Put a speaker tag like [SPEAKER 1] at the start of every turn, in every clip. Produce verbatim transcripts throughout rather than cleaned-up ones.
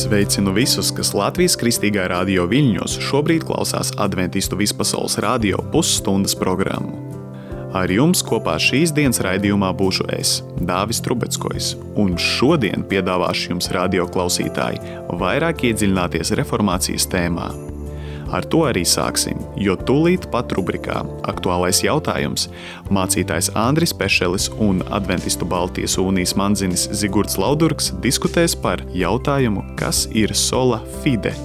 [SPEAKER 1] Sveicinu visus, kas Latvijas Kristīgā radio Viļņos šobrīd klausās Adventistu vispasaules radio pusstundas programmu. Ar jums kopā šīs dienas raidījumā būšu es, Dāvis Trubeckojs, un šodien piedāvāšu jums radio klausītāji vairāk iedziļināties reformācijas tēmā. Ar to arī sāksim, jo tūlīt pat rubrikā Aktuālais jautājums mācītājs Andris Pešelis un Adventistu Baltijas Unijas mandzinis Zigurds Laudurgs diskutēs par jautājumu, kas ir sola fide.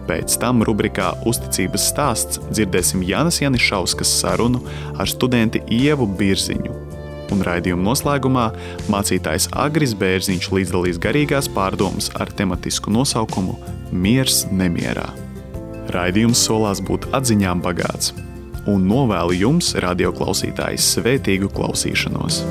[SPEAKER 1] Pēc tam rubrikā Uzticības stāsts dzirdēsim Jānas Janišauskas sarunu ar studenti Ievu Birziņu. Un raidījuma noslēgumā mācītājs Agris Bērziņš līdzdalīs garīgās pārdomas ar tematisku nosaukumu Miers nemierā. Raidījums solās būt atziņām bagāts, un novēlu jums, radioklausītāji, svētīgu klausīšanos.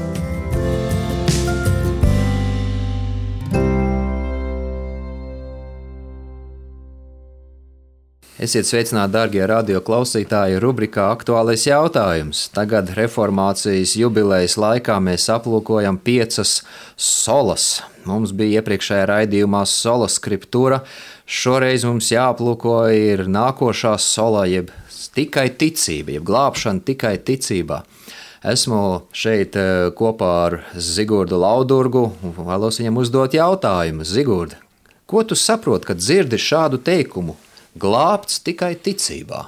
[SPEAKER 2] Esiet sveicināti, dārgie radioklausītāji, rubrikā Aktuālais jautājums. Tagad reformācijas jubilejas laikā mēs aplūkojam piecas solas. Mums bija iepriekšējā raidījumā sola skriptūra. Šoreiz mums jāaplūko ir nākošā sola, jeb tikai ticība, jeb glābšana tikai ticībā. Esmu šeit kopā ar Zigurdu Laudurgu un vēlos viņam uzdot jautājumu. Zigurd, ko tu saproti, kad dzirdi šādu teikumu? Glābts tikai ticībā.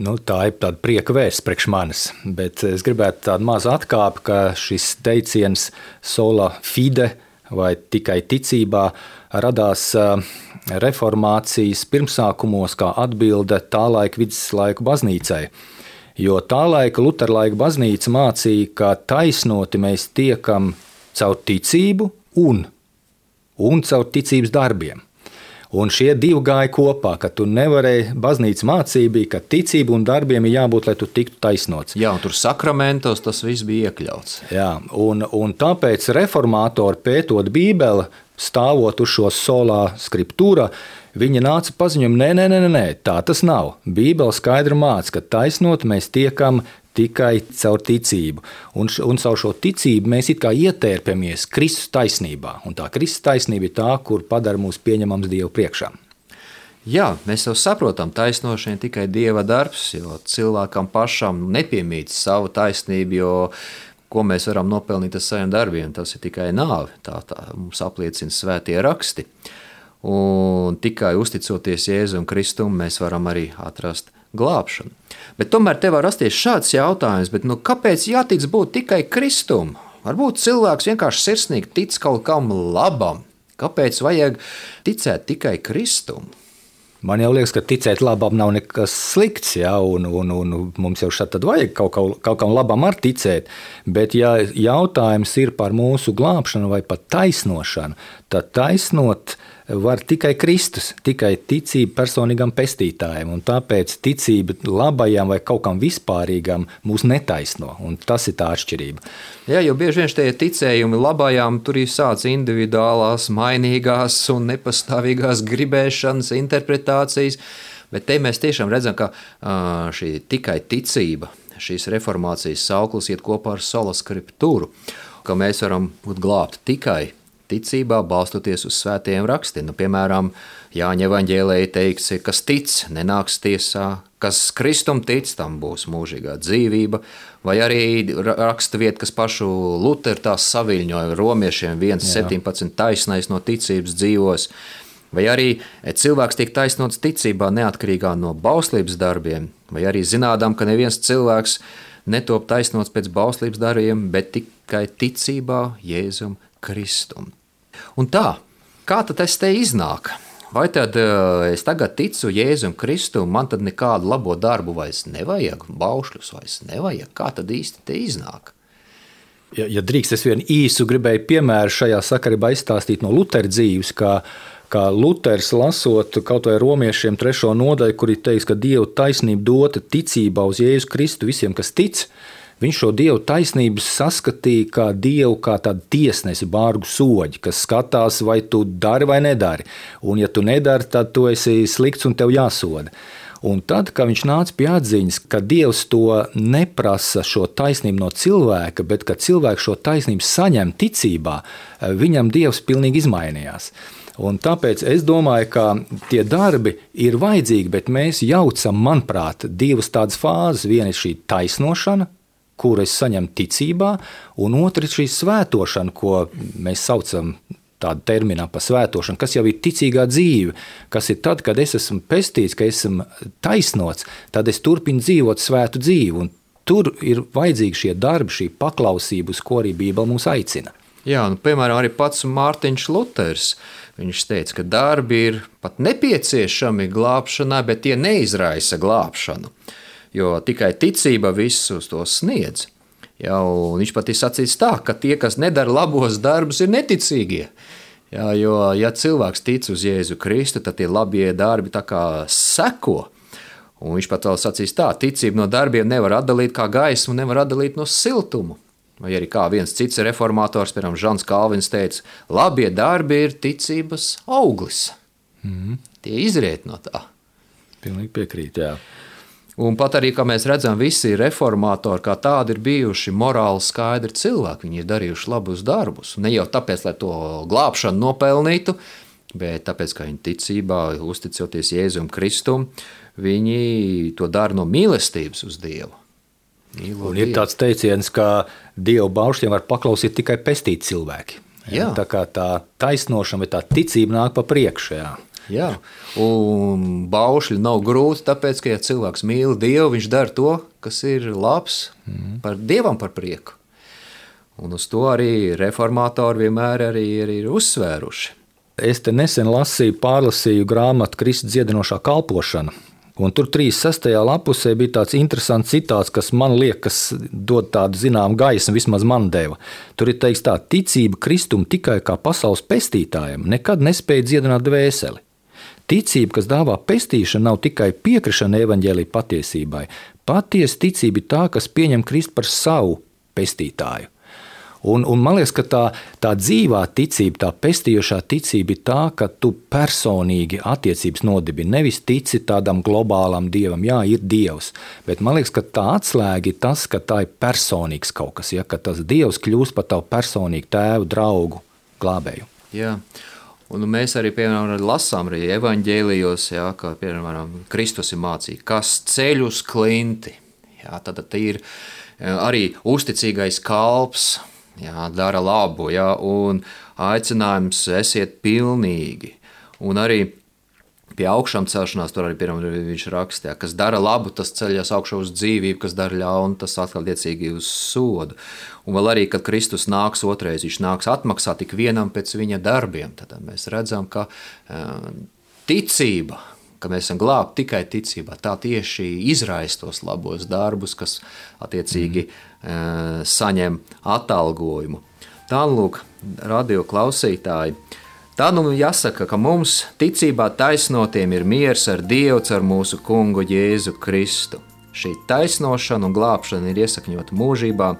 [SPEAKER 3] Nu, tā ir tāda prieka vēsts priekš manis, bet es gribētu tādu mazu atkāpi, ka šis teiciens sola fide vai tikai ticībā radās reformācijas pirmsākumos kā atbilde tā laika viduslaiku baznīcai. Jo tā laika luterlaika baznīca mācīja, ka taisnoti mēs tiekam caur ticību un, un caur ticības darbiem. Un šie divi gāja kopā, ka tu nevarēji, baznīca mācība bija, ka ticība un darbiem ir jābūt, lai tu tiktu taisnots.
[SPEAKER 2] Jā, un tur sakramentos tas viss bija iekļauts.
[SPEAKER 3] Jā, un, un tāpēc reformātori pētot Bībeli, stāvot uz šo solā skriptūrā, viņi nāca paziņojumu, nē, nē, nē, nē, tā tas nav. Bībeli skaidri māca, ka taisnot mēs tiekam tikai caur ticību. Un, un caur šo ticību mēs it kā ietērpjamies Kristus taisnībā. Un tā Kristus taisnība ir tā, kur padara mūs pieņemams Dievu priekšā.
[SPEAKER 2] Jā, mēs jau saprotam, taisnošana tikai Dieva darbs, jo cilvēkam pašam nepiemīt savu taisnību, jo ko mēs varam nopelnīt ar saviem darbiem, tas ir tikai nāve. Tā, tā mums apliecina svētie raksti. Un tikai uzticoties Jēzum Kristum, mēs varam arī atrast glābšanu. Bet tomēr te var rasties šāds jautājums, bet nu, kāpēc jātic būt tikai Kristum? Varbūt cilvēks vienkārši sirsnīgi tic kaut kam labam. Kāpēc vajag ticēt tikai Kristum?
[SPEAKER 3] Man jau liekas, ka ticēt labam nav nekas slikts, ja, un, un, un mums jau šeit tad vajag kaut, kaut, kaut kam labam ar ticēt, bet ja jautājums ir par mūsu glābšanu vai pat taisnošanu, tad taisnot var tikai Kristus, tikai ticība personīgam pestītājam, un tāpēc ticība labajam vai kaut kam vispārīgam mūs netaisno, un tas ir tā atšķirība.
[SPEAKER 2] Jā, jo bieži vien šie ticējumi labajām tur ir sāc individuālās, mainīgās un nepastāvīgās gribēšanas, interpretācijas, bet te mēs tiešām redzam, ka šī tikai ticība, šīs reformācijas sauklis iet kopā ar sola skriptūru, ka mēs varam būt glābti tikai ticībā, balstoties uz svētajiem rakstiem. Nu, piemēram, Jāņa evaņģēlejā teikts, kas tic, nenāks tiesā, kas Kristum tic, tam būs mūžīgā dzīvība, vai arī raksta vieta, kas pašu Luteru tās saviļņoja romiešiem viens septiņpadsmit taisnais no ticības dzīvos, vai arī cilvēks tiek taisnots ticībā neatkarīgā no bauslības darbiem, vai arī zinādām, ka neviens cilvēks netop taisnots pēc bauslības darbiem, bet tikai ticībā Jēzum Kristum. Un tā, kā tad tas te iznāk? Vai tad es tagad ticu Jēzum Kristum, man tad nekādu labo darbu vairs nevajag, baušļus vairs nevajag? Kā tad īsti te iznāk?
[SPEAKER 3] Ja, ja drīkst, es vienu īsu gribēju piemēru šajā sakarībā izstāstīt no Lutera dzīves, kā, kā Luters lasot kaut vai romiešiem trešo nodaļu, kur ir teiks, ka Dieva taisnība dota ticībā uz Jēzu Kristu visiem, kas tic. Viņš šo Dievu taisnību saskatīja kā Dievu, kā tādu tiesnesi, bārgu soģi, kas skatās, vai tu dari vai nedari. Un ja tu nedari, tad tu esi slikts un tev jāsoda. Un tad, kad viņš nāca pie atziņas, ka Dievs to neprasa šo taisnību no cilvēka, bet ka cilvēks šo taisnību saņem ticībā, viņam Dievs pilnīgi izmainījās. Un tāpēc es domāju, ka tie darbi ir vajadzīgi, bet mēs jaucam, manuprāt, divas tādas fāzes. Viena ir šī taisnošana, kuru es saņemu ticībā, un otra ir šī svētošana, ko mēs saucam tādu terminā par svētošanu, kas jau ir ticīgā dzīve, kas ir tad, kad es esmu pestīts, ka esmu taisnots, tad es turpinu dzīvot svētu dzīvi, un tur ir vajadzīgi šie darbi, šī paklausība, uz ko arī Bībele mūs aicina.
[SPEAKER 2] Jā, nu, piemēram, arī pats Mārtiņš Luters, viņš teica, ka darbi ir pat nepieciešami glābšanai, bet tie neizraisa glābšanu, jo tikai ticība visus to sniedz. Jā, un viņš pat ir sacīts tā, ka tie, kas nedara labos darbus, ir neticīgie. Jā, jo, ja cilvēks tic uz Jēzu Kristu, tad tie labie darbi tā kā seko. Un viņš pat vēl sacīs tā, ticība no darbiem nevar atdalīt kā gaismu, nevar atdalīt no siltumu. Vai arī kā viens cits reformators, piemēram, Žans Kalvins teica, labie darbi ir ticības auglis. Mm. Tie izriet no tā.
[SPEAKER 3] Pilnīgi piekrīt, jā.
[SPEAKER 2] Un pat arī, kā mēs redzam, visi reformatori kā tādi ir bijuši morāli skaidri cilvēki. Viņi ir darījuši labus darbus. Ne jau tāpēc, lai to glābšanu nopelnītu, bet tāpēc, ka viņi ticībā, uzticoties Jēzum Kristum, viņi to dara no mīlestības uz Dievu. Mīlo
[SPEAKER 3] un ir
[SPEAKER 2] Dievu.
[SPEAKER 3] tāds teiciens, ka Dieva baušļiem var paklausīt tikai pestīti cilvēki. Jā. Tā kā tā taisnošana vai tā ticība nāk pa priekšu. Jā.
[SPEAKER 2] Jā, un baušļi nav grūti, tāpēc, ka ja cilvēks mīl Dievu, viņš dara to, kas ir labs mm. par Dievam par prieku. Un uz to arī reformatori vienmēr arī, arī ir uzsvēruši.
[SPEAKER 3] Es te nesen lasīju, pārlasīju grāmatu Kristus dziedinošā kalpošana. Un tur trīsdesmit sestajā lapusē bija tāds interesants citāts, kas man liekas dod tādu zinām gaismu, vismaz man deva. Tur ir teiks tā, ticība Kristum tikai kā pasaules pestītājiem nekad nespēja dziedināt dvēseli. Ticība, kas dāvā pestīšanu, nav tikai piekrišana evaņģēlija patiesībai. Patiesa ticība ir tā, kas pieņem Kristu par savu pestītāju. Un, un man liekas, ka tā, tā dzīvā ticība, tā pestījošā ticība ir tā, ka tu personīgi attiecības nodibini. Nevis tici tādam globālam dievam, jā, ir dievs, bet man liekas, ka tā atslēga ir tas, ka tā ir personīgs kaut kas, ja, ka tas dievs kļūst par tavu personīgu tēvu, draugu, glābēju.
[SPEAKER 2] Jā. Un mēs arī, piemēram, lasām arī evaņģēlijos, jā, ka, piemēram, Kristus ir mācīja, kas ceļ uz klinti. Jā, tad ir arī uzticīgais kalps, jā, dara labu, jā, un aicinājums esiet pilnīgi. Un arī pie augšām celšanās, tur arī piemēram viņš raksta, jā, kas dara labu, tas ceļas augšā uz dzīvību, kas dara ļaunu, tas atkal liecīgi uz sodu. Un vēl arī, kad Kristus nāks otrais, viņš nāks atmaksāt tik vienam pēc viņa darbiem. Tad mēs redzam, ka uh, ticība, ka mēs esam glābti tikai ticībā, tā tieši izraisa tos labos darbus, kas attiecīgi mm. uh, saņem atalgojumu. Tā, lūk, radio klausītāji, tā nu jāsaka, ka mums ticībā taisnotiem ir miers ar Dievu ar mūsu kungu Jēzu Kristu. Šī taisnošana un glābšana ir iesakņota mūžībā,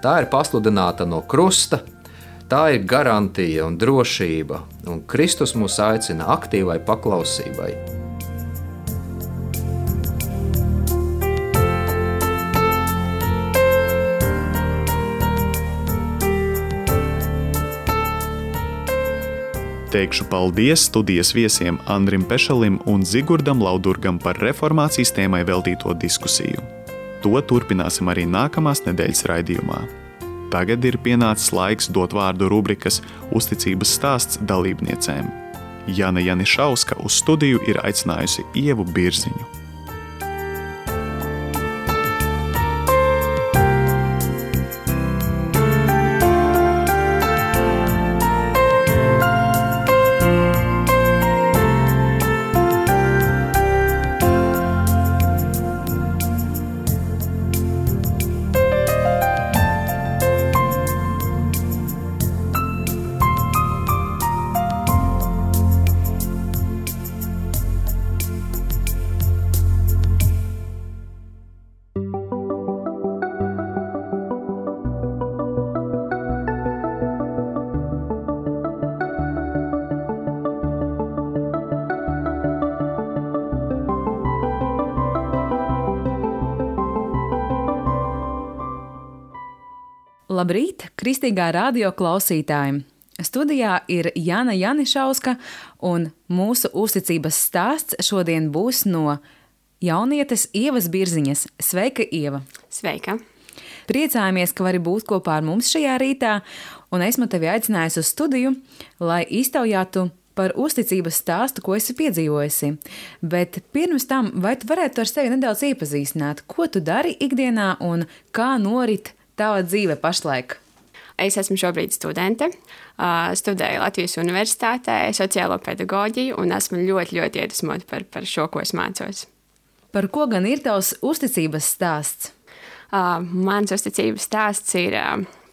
[SPEAKER 2] tā ir pasludināta no krusta, tā ir garantija un drošība, un Kristus mūs aicina aktīvai paklausībai.
[SPEAKER 1] Teikšu paldies studijas viesiem Andrim Pešalim un Zigurdam Laudurgam par reformācijas tēmai veltīto diskusiju. To turpināsim arī nākamās nedēļas raidījumā. Tagad ir pienācis laiks dot vārdu rubrikas Uzticības stāsts dalībniecēm. Jana Janišauska uz studiju ir aicinājusi Ievu Birziņu.
[SPEAKER 4] Labrīt, Kristīgā radio klausītāji! Studijā ir Jana Janišauska, un mūsu uzticības stāsts šodien būs no jaunietes Ievas Birziņas. Sveika, Ieva!
[SPEAKER 5] Sveika!
[SPEAKER 4] Priecājamies, ka vari būt kopā ar mums šajā rītā, un esmu tevi aicinājusi uz studiju, lai iztaujātu par uzticības stāstu, ko esi piedzīvojusi. Bet pirms tam, vai tu varētu ar sevi nedaudz iepazīstināt, ko tu dari ikdienā un kā norit tava dzīve pašlaik?
[SPEAKER 5] Es esmu šobrīd studente, studēju Latvijas Universitātē sociālo pedagoģiju un esmu ļoti, ļoti iedvesmota par, par šo, ko es mācos.
[SPEAKER 4] Par ko gan ir tavs uzticības stāsts?
[SPEAKER 5] Mans uzticības stāsts ir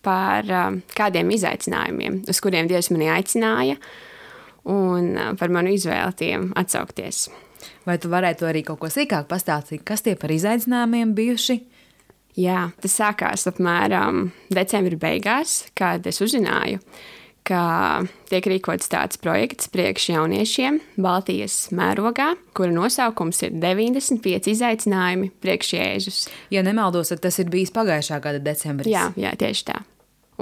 [SPEAKER 5] par kādiem izaicinājumiem, uz kuriem Dievs mani aicināja, un par manu izvēli tiem atsaukties.
[SPEAKER 4] Vai tu varētu arī kaut ko sīkāk pastāstīt, kas tie par izaicinājumiem bijuši?
[SPEAKER 5] Jā, tas sākās apmēram decembra beigās, kad es uzzināju, ka tiek rīkots tāds projekts priekš jauniešiem Baltijas mērogā, kura nosaukums ir deviņdesmit pieci izaicinājumi priekš Jēzus.
[SPEAKER 4] Ja nemaldos, tad tas ir bijis pagājušā gada decembris.
[SPEAKER 5] Jā, jā, tieši tā.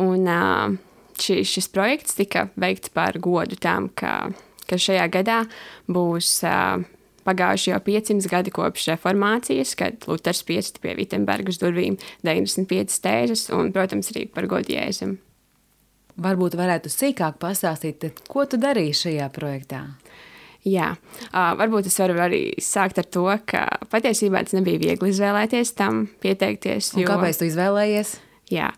[SPEAKER 5] Un uh, Šis, šis projekts tika veikts par godu tam, ka, ka šajā gadā būs uh, pagājuši jau piecsimt gadi kopš reformācijas, kad Luters piesita pie Vitembergas durvīm deviņdesmit piecas tēzes un, protams, arī par godu Jēzum.
[SPEAKER 4] Varbūt varētu sīkāk pastāstīt, ko tu darīji šajā projektā?
[SPEAKER 5] Jā, uh, varbūt es varu arī sākt ar to, ka patiesībā tas nebija viegli izvēlēties tam pieteikties.
[SPEAKER 4] Un jo... kāpēc tu izvēlējies?
[SPEAKER 5] Jā,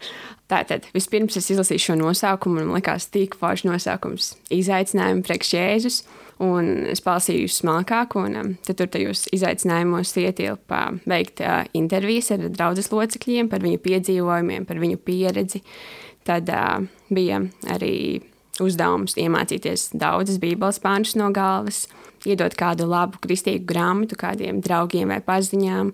[SPEAKER 5] tātad vispirms es izlasīju šo nosaukumu, un man likās tik foršs nosaukums – izaicinājumi priekš Jēzus, un es palasīju smalkāk, un um, tad tur tajos izaicinājumos ietilpa veikt uh, intervijas ar draudzes locekļiem par viņu piedzīvojumiem, par viņu pieredzi. Tad uh, bija arī uzdevums iemācīties daudzas bībeles pāntus no galvas, iedot kādu labu kristīgu grāmatu kādiem draugiem vai paziņām,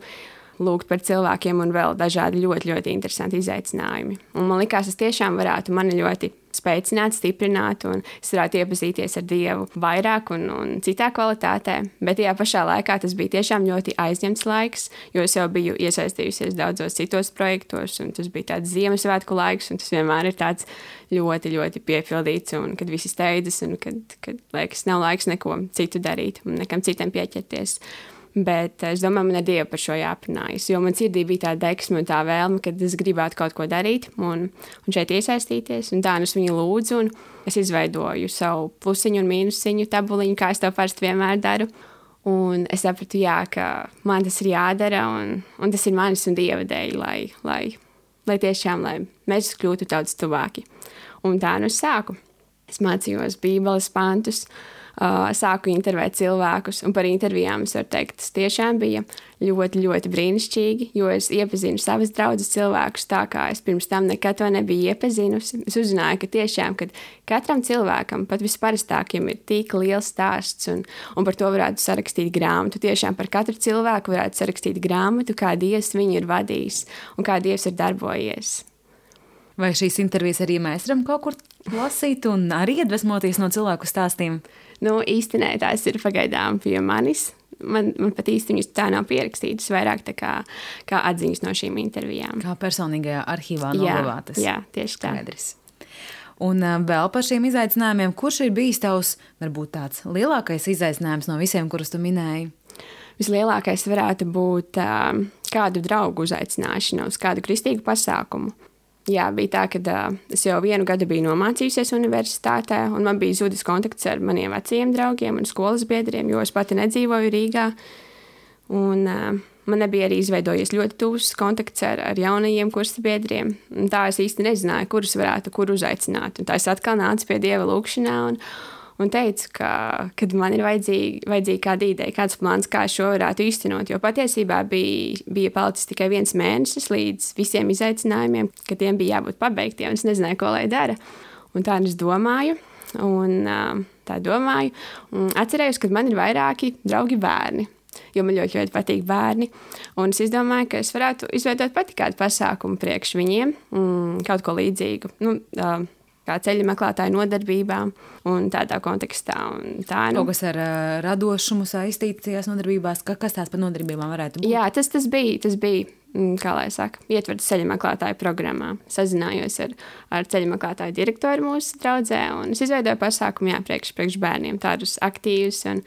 [SPEAKER 5] lūgt par cilvēkiem un vēl dažādi ļoti, ļoti interesanti izaicinājumi. Un man likās, es tiešām varētu mani ļoti spēcināt, stiprināt, un es varētu iepazīties ar Dievu vairāk un, un citā kvalitātē. Bet tajā pašā laikā tas bija tiešām ļoti aizņemts laiks, jo es jau biju iesaistījusies daudzos citos projektos, un tas bija tāds Ziemassvētku laiks, un tas vienmēr ir tāds ļoti, ļoti piepildīts, un kad visi steidzas, un kad, kad liekas, nav laiks neko citu darīt un nekam citam pieķerties. Bet es domāju, man ar Dievu par šo jāprunājas, jo man sirdī bija tā deksme un tā vēlme, kad es gribētu kaut ko darīt un, un šeit iesaistīties. Un tā es viņu lūdzu, un es izveidoju savu plusiņu un mīnusiņu tabuliņu, kā es to parasti vienmēr daru. Un es sapratu, jā, ka man tas ir jādara, un, un tas ir manis un Dieva dēļ, lai, lai, lai tiešām, lai mēs kļūtu daudz tuvāki. Un tā nu es sāku. Es mācījos bībeles pantus, Uh, sāku intervēt cilvēkus, un par intervijām es varu teikt, tas tiešām bija ļoti, ļoti brīnišķīgi, jo es iepazinu savas draudzes cilvēkus tā, kā es pirms tam nekad to nebiju iepazinusi. Es uzzināju, ka tiešām, kad katram cilvēkam, pat visparastākiem, ir tik liels stāsts, un, un par to varētu sarakstīt grāmatu. Tiešām par katru cilvēku varētu sarakstīt grāmatu, kā Dievs viņu ir vadījis un kā Dievs ir darbojies.
[SPEAKER 4] Vai šīs intervijas arī mēs varam kaut kur lasīt un arī iedvesmoties no cilvēku stāstiem?
[SPEAKER 5] Nu, īstenībā tās ir pagaidām pie manis. Man, man pat īsti viņas tā nav pierakstītas, vairāk tā kā, kā atziņas no šīm intervijām.
[SPEAKER 4] Kā personīgajā arhīvā noglabātas.
[SPEAKER 5] Jā, jā, tieši tā.
[SPEAKER 4] Skaidrs. Un vēl par šiem izaicinājumiem, kurš ir bijis tavs, varbūt tāds lielākais izaicinājums no visiem, kurus tu minēji?
[SPEAKER 5] Vislielākais varētu būt uh, kādu draugu uzaicināšana uz kādu kristīgu pasākumu. Jā, bija tā, ka uh, es jau vienu gadu biju nomācījusies universitātē, un man bija zudis kontakts ar maniem vecajiem draugiem un skolas biedriem, jo es pati nedzīvoju Rīgā. Un uh, man nebija arī izveidojies ļoti tuvs kontakts ar, ar jaunajiem kursa biedriem. Un tā es īsti nezināju, kurus varētu kur uzaicināt. Un tā es atkal nācu pie Dieva lūkšanā un, un teicu, ka kad man ir vajadzīga, vajadzīga kāda ideja, kāds plāns, kā šo varētu īstenot. Jo patiesībā bija, bija palicis tikai viens mēnesis līdz visiem izaicinājumiem, ka tiem bija jābūt pabeigtiem. Es nezināju, ko lai dara. Un tā es domāju, un tā domāju. Un atcerējos, ka man ir vairāki draugi bērni, jo man ļoti, ļoti patīk bērni. Un es izdomāju, ka es varētu izveidot pati kādu pasākumu priekš viņiem, kaut ko līdzīgu. Nu, kā ceļa meklētāju nodarbībām un tādā kontekstā. Un tā, nu.
[SPEAKER 4] Kaut kas ar uh, radošumu saistīts tajās nodarbībās, ka, kas tās par nodarbībām varētu būt?
[SPEAKER 5] Jā, tas, tas bija, tas bija, kā lai saka, ietverts ceļa meklētāju programmā. Sazinājos ar, ar ceļa meklētāju direktoru mūsu draudzē, un es izveidoju pasākumu, jā, priekš, priekš bērniem, tādus aktīvus un,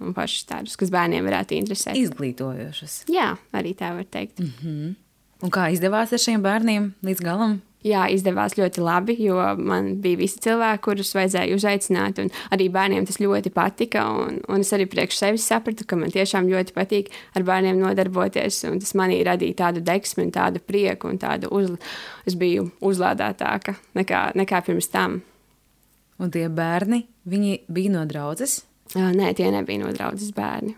[SPEAKER 5] un pašus tādus, kas bērniem varētu interesēt.
[SPEAKER 4] Izglītojošus.
[SPEAKER 5] Jā, arī tā var teikt.
[SPEAKER 4] Mm-hmm. Un kā izdevās ar šiem bērniem līdz galam?
[SPEAKER 5] Jā, izdevās ļoti labi, jo man bija visi cilvēki, kurus vajadzēja uzaicināt, un arī bērniem tas ļoti patika, un, un es arī priekš sevis sapratu, ka man tiešām ļoti patīk ar bērniem nodarboties, un tas manī radīja tādu deksmi un tādu prieku, un tādu uz, es biju uzlādētāka nekā, nekā pirms tam.
[SPEAKER 4] Un tie bērni, viņi bija no draudzes?
[SPEAKER 5] Nē, tie nebija no draudzes bērni.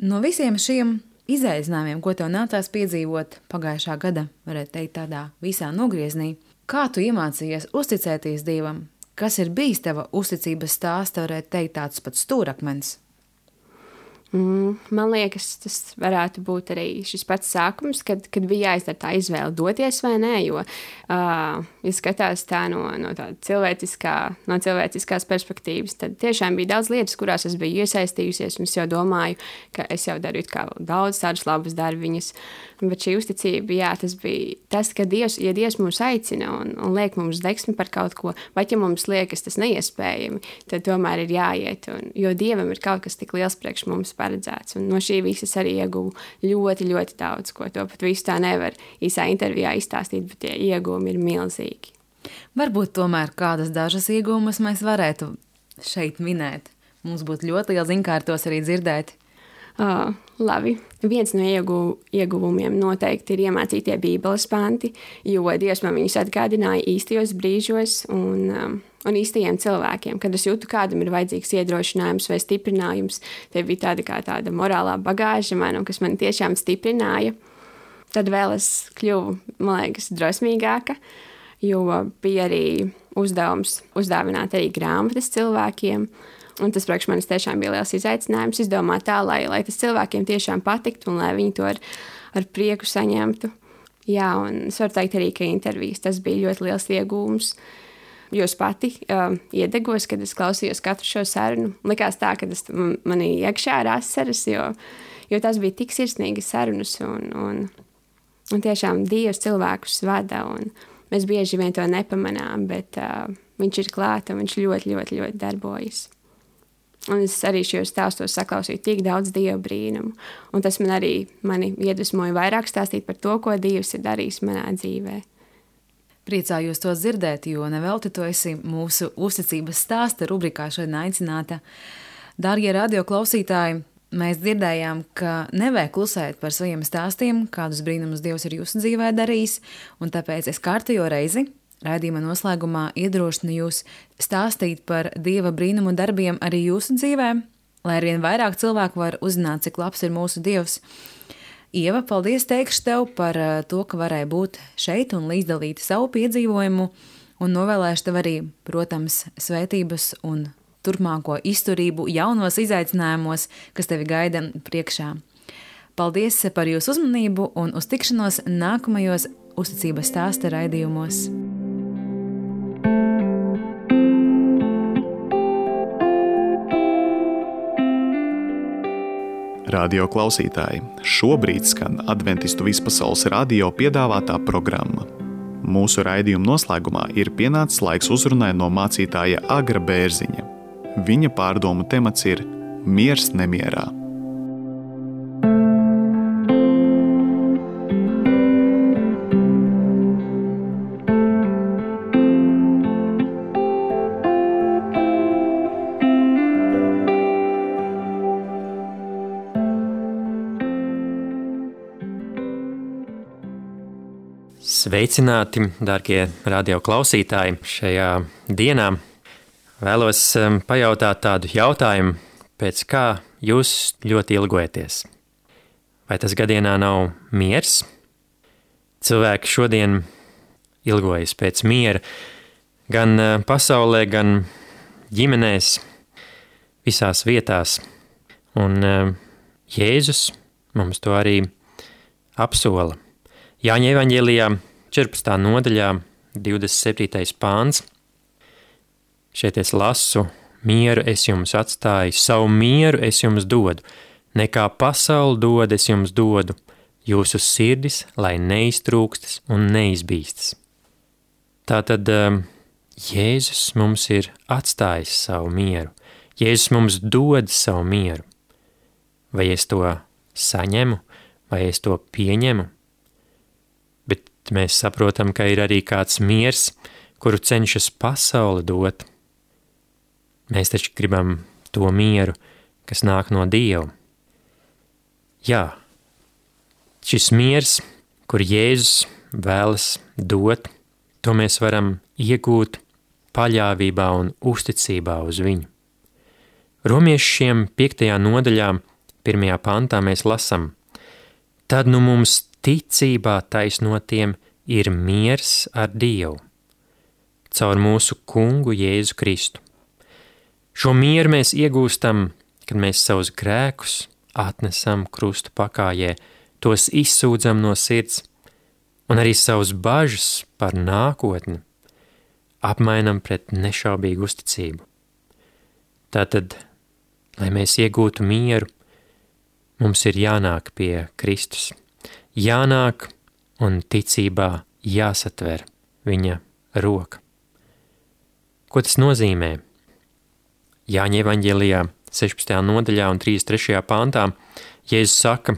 [SPEAKER 4] No visiem šiem izaicinājumiem, ko tev nācās piedzīvot pagājušā gada, varētu teikt tādā visā nogrieznī, kā tu iemācījies uzticēties Dievam? Kas ir bijis tava uzticības stāsta, varētu teikt tāds pats stūrakmens?
[SPEAKER 5] Mm, man liekas, tas varētu būt arī šis pats sākums, kad, kad bija jāizdara tā izvēle doties vai nē, jo, uh, ja skatās tā no, no tāda cilvēciskā, no cilvēciskās perspektīvas, tad tiešām bija daudz lietas, kurās es biju iesaistījusies, un es jau domāju, ka es jau daru kā daudz tādus labus darbiņus, bet šī uzticība, jā, tas bija tas, ka Dievs, ja Dievs mūs aicina un, un liek mums deksmi par kaut ko, vai ja mums liekas tas neiespējami, tad tomēr ir jāiet, un, jo Dievam ir kaut kas tik liels priekš mums paredzēts, un no šī visas arī ieguvu ļoti, ļoti daudz, ko to pat visu tā nevar īsā intervijā izstāstīt, bet tie ieguvumi ir milzīgi.
[SPEAKER 4] Varbūt tomēr kādas dažas ieguvumus mēs varētu šeit minēt. Mums būtu ļoti liela ziņkārtos arī dzirdēt.
[SPEAKER 5] Uh, labi. Viens no ieguv, ieguvumiem noteikti ir iemācītie Bībeles panti, jo Dievs man viņus atgādināja īstajos brīžos un, um, un īstajiem cilvēkiem. Kad es jūtu, kādam ir vajadzīgs iedrošinājums vai stiprinājums, te bija tāda kā tāda morālā bagāža man, kas man tiešām stiprināja. Tad vēl es kļuvu, man liekas, drosmīgāka, jo bija arī uzdevums uzdāvināt arī grāmatas cilvēkiem. Un tas priekš manis tiešām bija liels izaicinājums izdomāt tā, lai, lai tas cilvēkiem tiešām patiktu un lai viņi to ar, ar prieku saņemtu. Jā, un es varu teikt arī, ka intervijas tas bija ļoti liels iegūms, jo es pati uh, iedegos, kad es klausījos katru šo sarunu. Likās tā, ka tas manī iekšā ir asaras, jo, jo tas bija tik sirsnīgas sarunas un, un, un tiešām Dievs cilvēkus vada un mēs bieži vien to nepamanām, bet uh, viņš ir klāt un viņš ļoti, ļoti, ļoti darbojas. Un es arī šajos stāstos saklausīju tik daudz Dieva brīnumu. Un tas man arī mani iedvesmoja vairāk stāstīt par to, ko Dievs ir darījis manā dzīvē.
[SPEAKER 4] Priecājos to dzirdēt, jo nevelti tu esi mūsu uzticības stāsta rubrikā šodien aicināta. Dārgie radio klausītāji, mēs dzirdējām, ka nevajag klusēt par saviem stāstiem, kādus brīnumus Dievs ir jūsu dzīvē darījis, un tāpēc es kārtējo reizi raidījuma noslēgumā iedrošinu jūs stāstīt par Dieva brīnumu darbiem arī jūsu dzīvē, lai arvien vairāk cilvēku var uzzināt, cik labs ir mūsu Dievs. Ieva, paldies teikšu tev par to, ka varēja būt šeit un līdzdalīt savu piedzīvojumu, un novēlēšu tev arī, protams, svētības un turpmāko izturību jaunos izaicinājumos, kas tevi gaida priekšā. Paldies par jūsu uzmanību un uz tikšanos nākamajos uzticības stāsta raidījumos.
[SPEAKER 1] Radio klausītāji, šobrīd skan Adventistu vispasaules radio piedāvātā programma. Mūsu raidījuma noslēgumā ir pienācis laiks uzrunai no mācītāja Agra Bērziņa. Viņa pārdomu temats ir miers nemierā.
[SPEAKER 6] Sveicināti, dārgie radio klausītāji! Šajā dienā vēlos pajautāt tādu jautājumu, pēc kā jūs ļoti ilgojaties. Vai tas gadienā nav miers? Cilvēki šodien ilgojas pēc miera gan pasaulē, gan ģimenēs, visās vietās. Un Jēzus mums to arī apsola. Jāņa evaņģēlijā četrpadsmitā nodaļā, divdesmit septītais pāns, Šeit es lasu, mieru es jums atstāju, savu mieru es jums dodu, nekā pasauli dod es jums dodu, jūsu sirdis, lai neiztrūkstas un neizbīstas. Tātad Jēzus mums ir atstājis savu mieru, Jēzus mums dod savu mieru. Vai es to saņemu, vai es to pieņemu? Bet mēs saprotam, ka ir arī kāds miers, kuru cenšas pasaule dot. Mēs taču gribam to mieru, kas nāk no Dieva. Jā, šis miers, kur Jēzus vēlas dot, to mēs varam iegūt paļāvībā un uzticībā uz viņu. Romiešiem piektajā nodaļā, pirmajā pantā mēs lasam: tad nu mums ticībā taisnotiem ir miers ar Dievu, caur mūsu kungu Jēzu Kristu. Šo mieru mēs iegūstam, kad mēs savus grēkus atnesam krustu pakājē, tos izsūdzam no sirds, un arī savus bažas par nākotni apmainam pret nešaubīgu uzticību. Tātad, lai mēs iegūtu mieru, mums ir jānāk pie Kristus, jānāk un ticībā jāsatver viņa roka. Ko tas nozīmē? Jāņa evaņģēlijā sešpadsmitajā nodaļā un trīsdesmit trešajā pāntā Jēzus saka,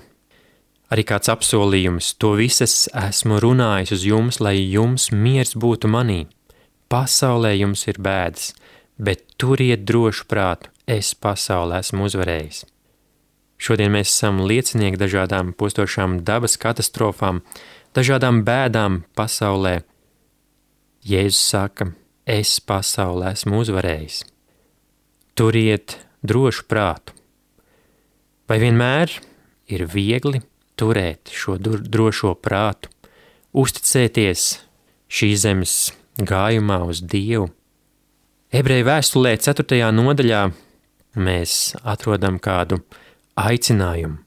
[SPEAKER 6] arī kāds apsolījums, to visas esmu runājis uz jums, lai jums miers būtu manī. Pasaulē jums ir bēdas, bet turiet drošu prātu, es pasaulē esmu uzvarējis. Šodien mēs esam liecinieki dažādām postošām dabas katastrofām, dažādām bēdām pasaulē. Jēzus saka, es pasaulē esmu uzvarējis. Turiet drošu prātu. Vai vienmēr ir viegli turēt šo drošo prātu, uzticēties šīs zemes gājumā uz Dievu? Ebreju vēstulē ceturtajā nodaļā mēs atrodam kādu aicinājumu.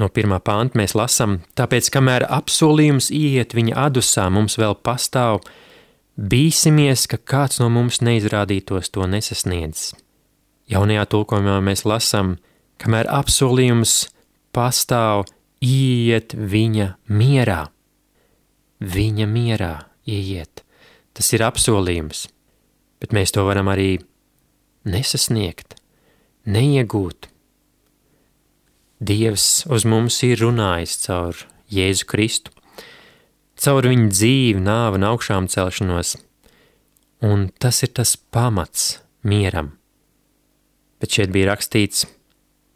[SPEAKER 6] No pirmā panta mēs lasam, tāpēc, kamēr apsolījums iet viņa adusā, mums vēl pastāv, bīsimies, ka kāds no mums neizrādītos to nesasniedzis. Jaunajā tulkojumā mēs lasam, kamēr apsolījums pastāv, iet viņa mierā. Viņa mierā iet. Tas ir apsolījums, bet mēs to varam arī nesasniegt, neiegūt. Dievs uz mums ir runājis caur Jēzu Kristu, caur viņa dzīvi, nāvi un augšām celšanos, un tas ir tas pamats mieram. Bet šeit bija rakstīts,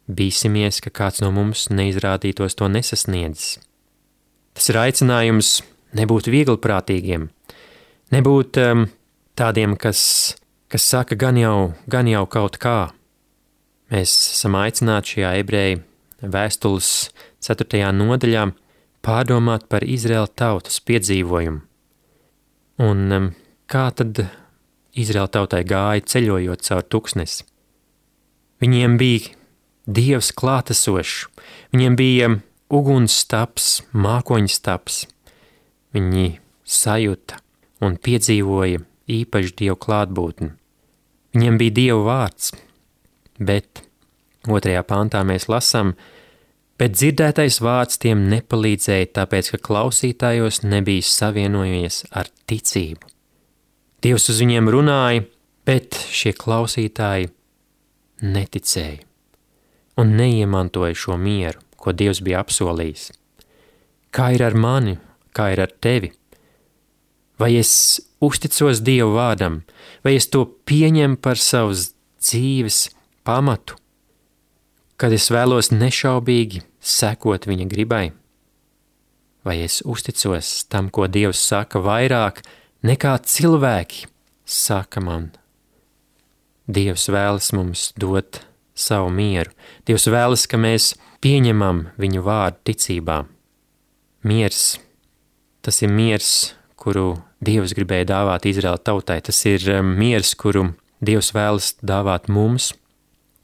[SPEAKER 6] bīsimies, ka kāds no mums neizrādītos to nesasniedzis. Tas ir aicinājums nebūt viegliprātīgiem, nebūt um, tādiem, kas, kas saka gan jau, gan jau kaut kā. Mēs esam aicināti šajā ebreju vēstules ceturtajā nodaļā pārdomāt par Izraēla tautas piedzīvojumu. Un um, kā tad Izraēla tautai gāja ceļojot caur tuksnesi? Viņiem bija Dievs klātesošs, viņiem bija ugunsstaps, mākoņstaps. Viņi sajuta un piedzīvoja īpaši Dievu klātbūtni. Viņiem bija Dieva vārds, bet otrajā pantā mēs lasām, bet dzirdētais vārds tiem nepalīdzēja, tāpēc, ka klausītājos nebija savienojies ar ticību. Dievs uz viņiem runāja, bet šie klausītāji neticēja un neiemantoja šo mieru, ko Dievs bija apsolījis. Kā ir ar mani, kā ir ar tevi? Vai es uzticos Dievu vārdam, vai es to pieņemu par savas dzīves pamatu, kad es vēlos nešaubīgi sekot viņa gribai? Vai es uzticos tam, ko Dievs saka vairāk nekā cilvēki saka man? Dievs vēlas mums dot savu mieru. Dievs vēlas, ka mēs pieņemam viņu vārdu ticībā. Miers, tas ir miers, kuru Dievs gribēja dāvāt Izraēla tautai. Tas ir miers, kuru Dievs vēlas dāvāt mums.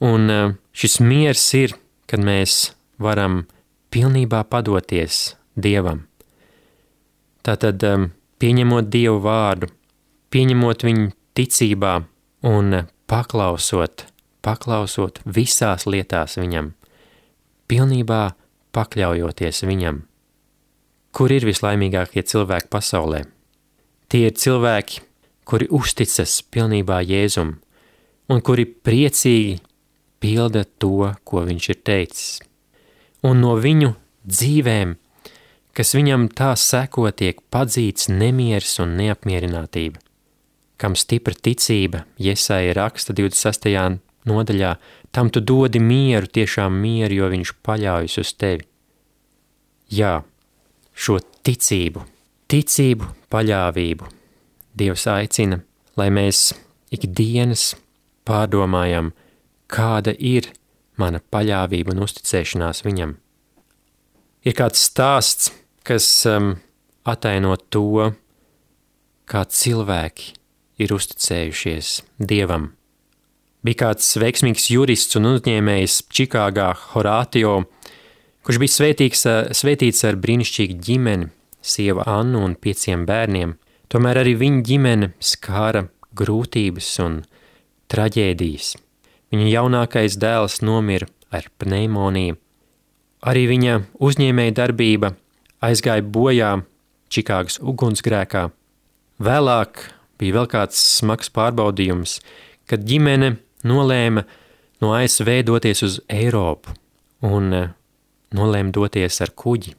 [SPEAKER 6] Un šis miers ir, kad mēs varam pilnībā padoties Dievam. Tātad, pieņemot Dievu vārdu, pieņemot viņu ticībā un paklausot, paklausot visās lietās viņam, pilnībā pakļaujoties viņam. Kur ir vislaimīgākie cilvēki pasaulē? Tie ir cilvēki, kuri uzticas pilnībā Jēzum un kuri priecīgi pilda to, ko viņš ir teicis. Un no viņu dzīvēm, kas viņam tā seko, tiek padzīts nemieris un neapmierinātība. Kam stipra ticība, Jesaja raksta divdesmit sastajā nodaļā, tam tu dodi mieru, tiešām mieru, jo viņš paļaujas uz tevi. Jā, šo ticību, ticību, paļāvību Dievs aicina, lai mēs ikdienas pārdomājam, kāda ir mana paļāvība un uzticēšanās viņam. Ir kāds stāsts, kas um, ataino to, kā cilvēki ir uzticējušies Dievam. Bija kāds veiksmīgs jurists un uzņēmējs Čikāgā, Horatio, kurš bija svētīgs, svētīts ar brīnišķīgu ģimeni, sievu Annu un pieciem bērniem. Tomēr arī viņa ģimene skāra grūtības un traģēdijas. Viņa jaunākais dēls nomira ar pneimoniju. Arī viņa uzņēmēja darbība aizgāja bojā Čikāgas ugunsgrēkā. Vēlāk bija vēl kāds smags pārbaudījums, kad ģimene nolēma no A S V doties uz Eiropu un nolēma doties ar kuģi.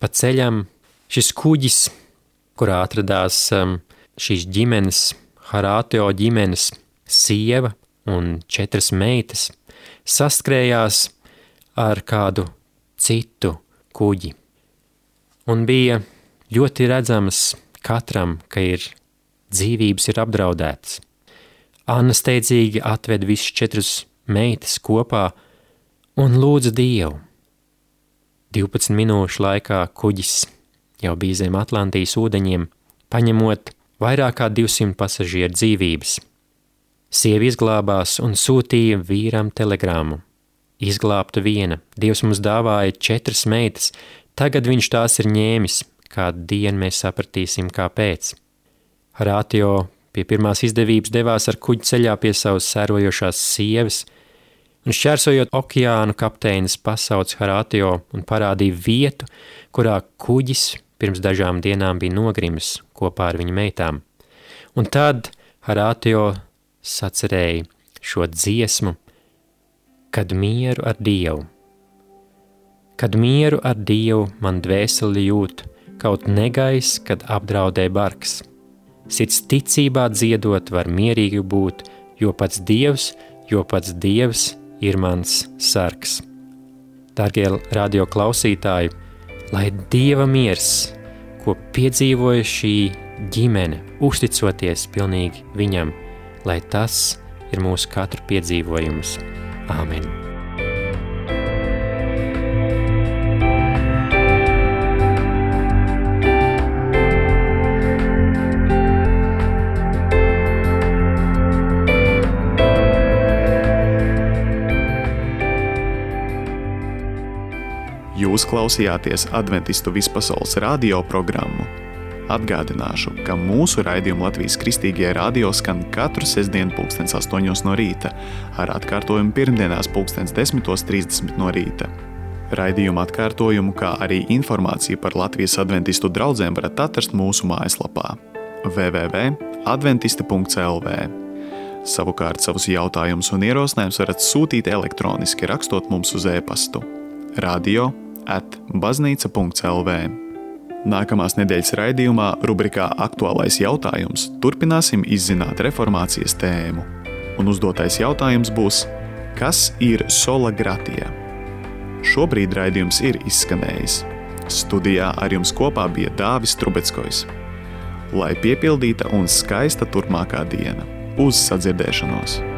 [SPEAKER 6] Pa ceļam šis kuģis, kurā atradās um, šīs ģimenes, Horatio ģimenes sieva un četras meitas, saskrējās ar kādu citu kuģi. Un bija ļoti redzams katram, ka ir dzīvības ir apdraudētas. Anna steidzīgi atved visus četrus meitas kopā un lūdza Dievu. divpadsmit minūšu laikā kuģis jau bija zem Atlantijas ūdeņiem, paņemot vairāk kā divsimt pasažieru dzīvības. Sievi izglābās un sūtīja vīram telegrāmu. Izglābta viena, Dievs mums dāvāja četras meitas, tagad viņš tās ir ņēmis, kādu dienu mēs sapratīsim, kāpēc. Horatio pie pirmās izdevības devās ar kuģi ceļā pie savas sērojošās sievas, un šķērsojot okeānu kapteinis pasauc Horatio un parādīja vietu, kurā kuģis pirms dažām dienām bija nogrimis kopā ar viņa meitām. Un tad Horatio sacerēja šo dziesmu, kad mieru ar Dievu. Kad mieru ar Dievu man dvēseli jūt, kaut negais, kad apdraudē barks. Sirds ticībā dziedot var mierīgi būt, jo pats Dievs, jo pats Dievs ir mans sargs. Dārgie radio klausītāji, lai Dieva miers, ko piedzīvoja šī ģimene, uzticoties pilnīgi viņam, lai tas ir mūsu katru piedzīvojums. Āmen.
[SPEAKER 1] Jūs klausījāties Adventistu vispasaules radio programmu. Atgādināšu, ka mūsu raidījumu Latvijas Kristīgajā radio skan katru sestdienu pulkstens astoņos no rīta, ar atkārtojumu pirmdienās pulkstens desmitos trīsdesmit no rīta. Raidījumu atkārtojumu, kā arī informāciju par Latvijas adventistu draudzēm varat atrast mūsu mājaslapā w w w punkt adventista punkt l v. Savukārt savus jautājumus un ierosinājumus varat sūtīt elektroniski, rakstot mums uz e-pastu radio at baznīca punkts l v. Nākamās nedēļas raidījumā rubrikā Aktuālais jautājums turpināsim izzināt reformācijas tēmu. Un uzdotais jautājums būs, kas ir sola gratia? Šobrīd raidījums ir izskanējis. Studijā ar jums kopā bija Dāvis Trubeckojs. Lai piepildīta un skaista turpmākā diena. Uz sadzirdēšanos!